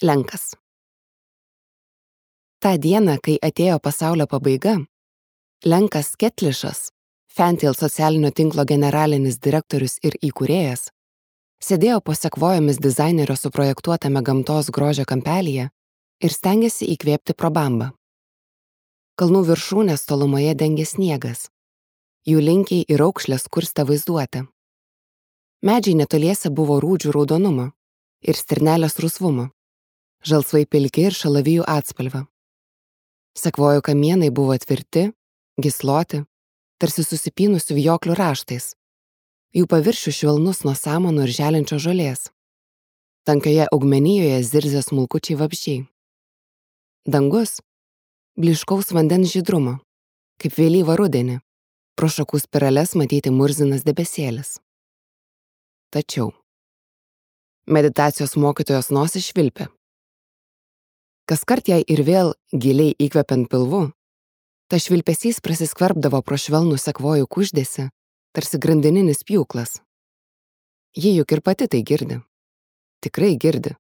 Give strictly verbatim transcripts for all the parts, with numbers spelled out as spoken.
Lenkas. Ta diena, kai atėjo pasaulio pabaiga, Lenkas Ketlišas, Fantail socialinio tinklo generalinis direktorius ir įkūrėjas, sėdėjo po sekvojomis dizainerio suprojektuotame gamtos grožio kampelyje ir stengėsi įkvėpti pro bambą. Kalnų viršūnės tolumoje dengė sniegas. Jų linkiai ir aukšlės kurstė vaizduotę. Medžiai netoliese buvo rūdžių raudonumo ir stirnelės rusvumo, žalsvai pilki ir šalavijų atspalvio. Sekvojų kamienai buvo tvirti, gysloti, tarsi susipynusių vijoklių raštais. Jų paviršių švelnus nuo samanų ir želinčio žolės. Tankioje augmenijoje zirzė smulkučiai vabzdžiai. Dangus blyškaus vandens žydrumo, kaip vėlyvą rudenį, pro šakų spirales matyti murzinas debesėlis. Tačiau meditacijos mokytojos nosis švilpė. Kaskart jai ir vėl giliai įkvepiant pilvu, ta švilpesys prasiskverbdavo pro švelnų sekvojų kuždėsi, tarsi grandininis pjūklas. Ji juk ir pati tai girdi. Tikrai girdi.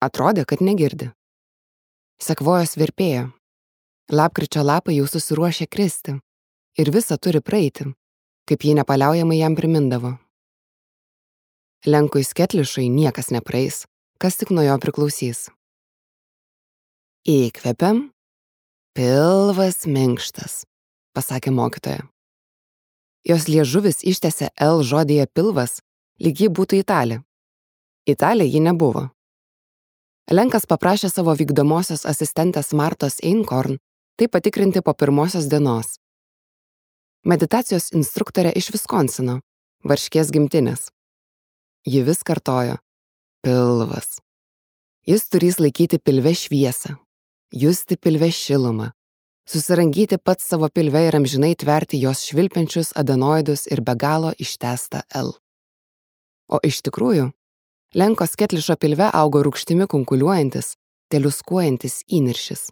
Atrodė, kad negirdi. Sekvojos virpėjo. Lapkričio lapai jau susiruošė kristi ir visa turi praeiti, kaip ji nepaliaujamai jam primindavo. Lenkui Ketlišui niekas nepraeis, kas tik nuo jo priklausys. Įkvepiam, pilvas minkštas, pasakė mokytoja. Jos liežuvis ištęsė L žodyje pilvas, lyg ji būtų italė. Italė ji nebuvo. Lenkas paprašė savo vykdomosios asistentės Martos Einkorn tai patikrinti po pirmosios dienos. Meditacijos instruktorė iš Viskonsino, Varškės gimtinės. Ji vis kartojo: pilvas. Jis turės laikyti pilve šviesą, justi pilve šilumą, susirangyti pats savo pilve ir amžinai tverti jos švilpiančius adenoidus ir be galo ištęstą L. O iš tikrųjų, Lenkos Ketlišo pilve augo rūgštimi kunkuliuojantis, teliuskuojantis įniršis.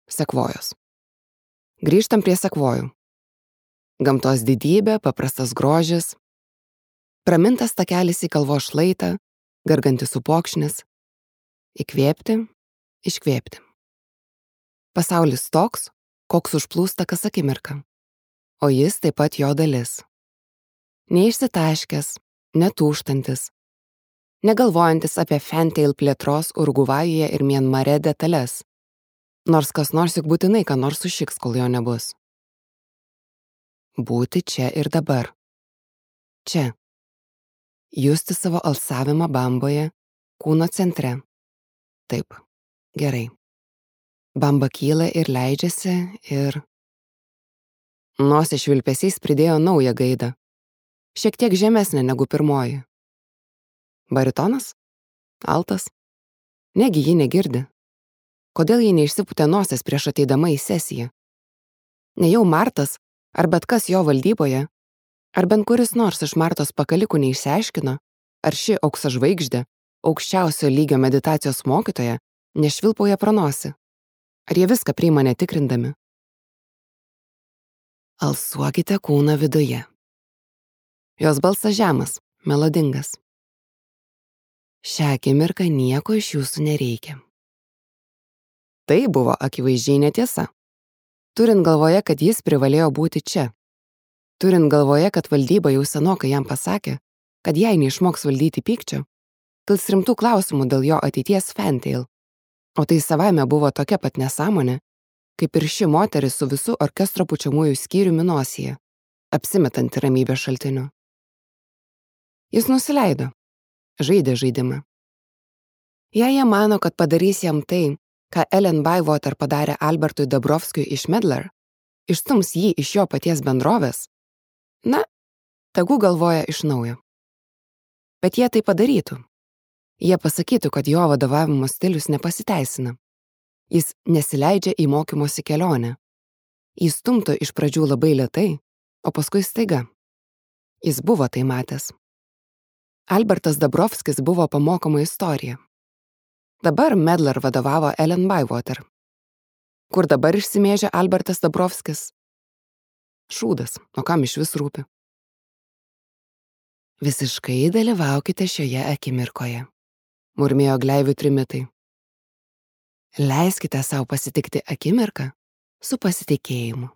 Sekvojos. Grįžtam prie sekvojų. Gamtos didybė, paprastas grožis, pramintas takelis į kalvos šlaitą, gargantis upokšnis, įkvėpti, iškvėpti. Pasaulis toks, koks užplūsta kas akimirką, o jis taip pat jo dalis. Neišsitaškęs, netūštantis, negalvojantis apie Fantail plėtros Urugvajuje ir Mianmare detalės, nors kas nors juk būtinai ką nors sušiks, kol jo nebus. Būti čia ir dabar. Čia. Justi savo alsavimą bamboje, kūno centre. Taip, gerai. Bamba kyla ir leidžiasi ir... Nosies švilpesys pridėjo naują gaidą. Šiek tiek žemesnė negu pirmoji. Baritonas? Altas? Negi ji negirdi. Kodėl ji neišsipūtė nosies prieš ateidama į sesiją? Nejau Martas, ar bet kas jo valdyboje, ar bent kuris nors iš Martos pakalikų neišsiaiškino, ar ši aukso žvaigždė, aukščiausio lygio meditacijos mokytoja, nešvilpauja pro nosį. Ar jie viską priima netikrindami? Alsuokite kūną viduje. Jos balsas žemas, melodingas. Šią akimirką nieko iš jūsų nereikia. Tai buvo akivaizdžiai netiesa. Turint galvoje, kad jis privalėjo būti čia. Turint galvoje, kad valdyba jau senokai jam pasakė, kad jei neišmoks valdyti pykčio, kils rimtų klausimų dėl jo ateities Fantail. O tai savaime buvo tokia pat nesąmonė, kaip ir ši moteris su visų orkestro pučiamųjų skyriumi nosyje, apsimetanti ramybės šaltiniu. Jis nusileido, žaidė žaidimą. Jei jie mano, kad padarys jam tai, ką Ellen Bywater padarė Albertui Dabrowskiui iš Medlar, išstums jį iš jo paties bendrovės, na, tegu galvoja iš naujo. Bet jie tai padarytų. Jie pasakytų, kad jo vadovavimo stilius nepasiteisina. Jis nesileidžia į mokymosi kelionę. Jis stumtų iš pradžių labai lėtai, o paskui staiga. Jis buvo tai matęs. Albertas Dabrowskis buvo pamokoma istorija. Dabar Medlar vadovavo Ellen Bywater. Kur dabar išsimėžė Albertas Dabrowskis? Šūdas, o kam iš vis rūpi? Visiškai dalyvaukite šioje akimirkoje. murmėjo gleivių trimitai. Leiskite savo pasitikti akimirką su pasitikėjimu.